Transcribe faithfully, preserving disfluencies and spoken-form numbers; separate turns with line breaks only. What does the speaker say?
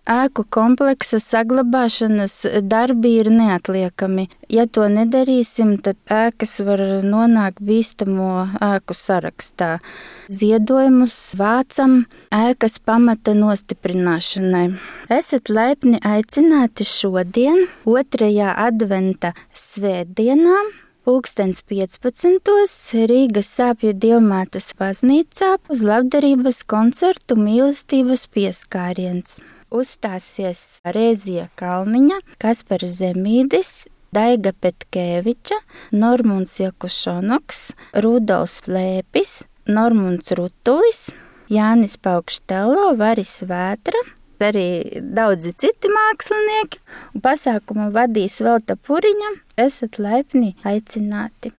ēku kompleksa saglabāšanas darbi ir neatliekami. Ja to nedarīsim, tad ēkas var nonākt bīstamo ēku sarakstā. Ziedojumus vācam ēkas pamata nostiprināšanai. Esat laipni aicināti šodien, otrajā adventa svētdienā, pulkstens piecpadsmitos Rīgas Sāpju Dievmātes baznīcā uz labdarības koncertu Mīlestības pieskāriens. Uzstāsies Rēzija Kalniņa, Kaspars Zemīdis, Daiga Petkēviča, Normunds Jakušonoks, Rudolfs Flēpis, Normunds Rutulis, Jānis Paukštello, Varis Vētra, arī daudzi citi mākslinieki. Pasākumu vadīs Velta Puriņa. Esat laipni aicināti.